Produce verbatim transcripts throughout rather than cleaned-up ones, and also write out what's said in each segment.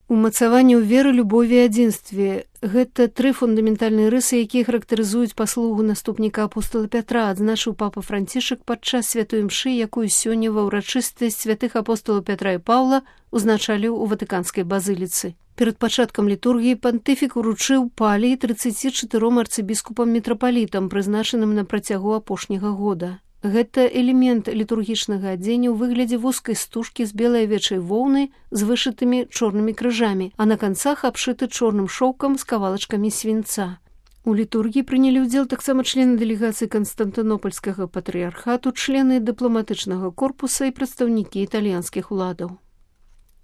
Умацаванне ў веры, любові і адзінстве – гэта тры фундаментальныя рысы, якія характарызуюць паслугу наступніка апостола Пятра, адзначыў папа Францішак падчас святой імшы, якую сёння ва ўрачыстасць святых апостолаў Пятра і Паўла узначаліў у Ватыканскай базыліцы. Перад пачаткам літургіі пантыфік уручыў паліі трыццаці чатыром арцыбіскупам-мітрапалітам, прызначаным на працягу апошняга года. Гэта элемент літургічнага адзення ў выглядзе вузкай стужкі з белай авечай воўны з вышытымі чорнымі крыжамі, а на канцах абшыты чорным шоўкам з кавалачкамі свінца. У літургіі прынялі ўдзел таксама члены дэлегацыі Канстантынопольскага патрыярхату, члены дыпламатычнага корпуса і прадстаўнікі італьянскіх уладаў.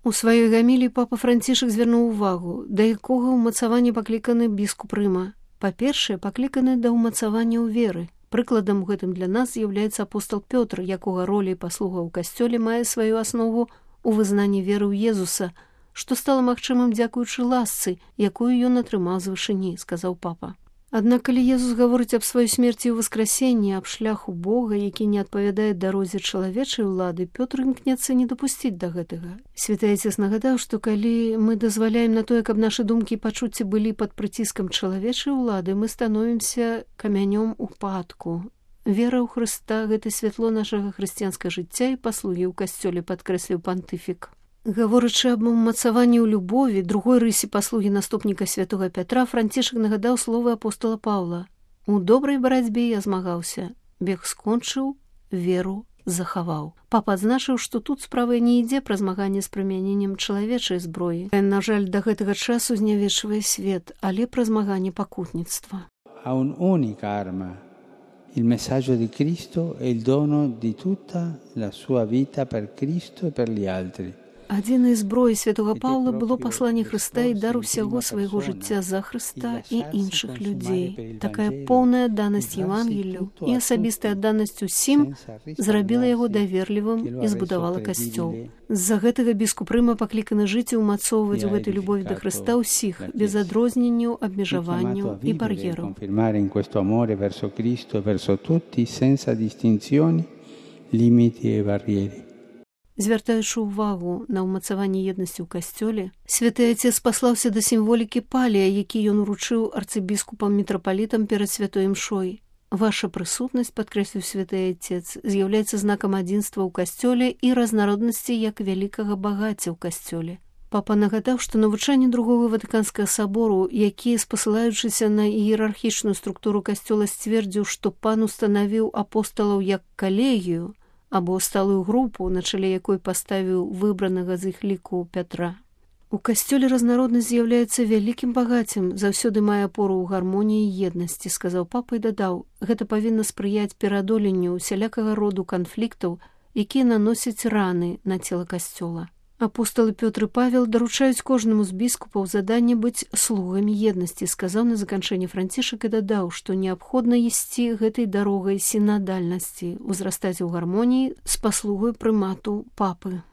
У сваёй гаміліі папа Францішак звярнуў увагу, да якога ўмацавання пакліканы біскуп Рыма. Па-першае, пакліканы да ўмацавання ў веры. Прыкладам у гэтым для нас з'яўляецца апостол Пётр, якога роля і паслуга ў касцёле мае сваю аснову ў вызнанні веры ў Езуса, што стала магчымым дзякуючы ласцы, якую ён атрымаў з вышыні, сказаў папа. Аднак, калі Езус гаворыць аб сваёй смерці і ўваскрасенні, аб шляху Бога, які не адпавядае дарозе чалавечай улады, Пётр імкнецца не дапусціць да гэтага. Святы Айцец нагадаў, што калі мы дазваляем на тое, каб нашы думкі і пачуцці былі пад прыціскам чалавечай улады, мы становімся камянём упадку. Вера ў Хрыста – гэта святло нашага хрысціянскага жыцця і паслугі ў касцёле, падкрэсліў пантыфік. Гаворачы аб умацаванні ў любові, другой рысе паслугі наступніка святога Пятра, Францішак нагадаў словы апостола Паўла. «У добрай барацьбе я змагаўся, бег скончыў, веру захаваў». Папа адзначыў, што тут справа не ідзе пра змаганне з прымяненнем чалавечай зброі. На жаль, да гэтага часу знявечвае свет, але пра змаганне пакутніцтва. Ha un'unica arma. Il messaggio di Cristo è il dono di tutta la sua vita per Cristo e per gli altri. Адзінай зброяй святога Паўла было пасланне Хрыста і дар усяго свайго жыцця за Хрыста і іншых людзей. Такая поўная адданасць Евангелію і асабістая адданасць усім зрабіла яго даверлівым і збудавала касцёл. З-за гэтага біскуп Рыма пакліканы жыць і ўмацоўваць у гэтай любові да Хрыста ўсіх, без адрозненняў, абмежаванняў і бар'ераў. Звяртаючы ўвагу на ўмацаванне еднасці ў касцёле, святы Айцец паслаўся да сімволікі палія, які ён уручыў арцыбіскупам-мітрапалітам перад святой імшой. Ваша прысутнасць, падкрэсліў святы Айцец, з'яўляецца знакам адзінства ў касцёле і разнароднасці як вялікага багацця ў касцёле. Папа нагадаў, што навучанне другога Ватыканскага сабору, які, спасылаючыся на іерархічную структуру касцёла, сцвердзіў, што пан устанавіў апосталаў як калегію, або сталую групу, на чале якой паставіў выбранага з іх ліку Пятра. У касцёле разнароднасць з'яўляецца вялікім багаццем, заўсёды мае апору ў гармоніі і еднасці, сказаў папа і дадаў, гэта павінна спрыяць пераадоленню усялякага роду канфліктаў, якія наносяць раны на цела касцёла. Апостолы Пётр і Павел даручаюць кожнаму з біскупаў заданне быць слугамі еднасці, сказаў на заканчэнне Францішак і дадаў, што неабходна ісці гэтай дарогай сінадальнасці, узрастаць у гармоніі з паслугай прымату папы.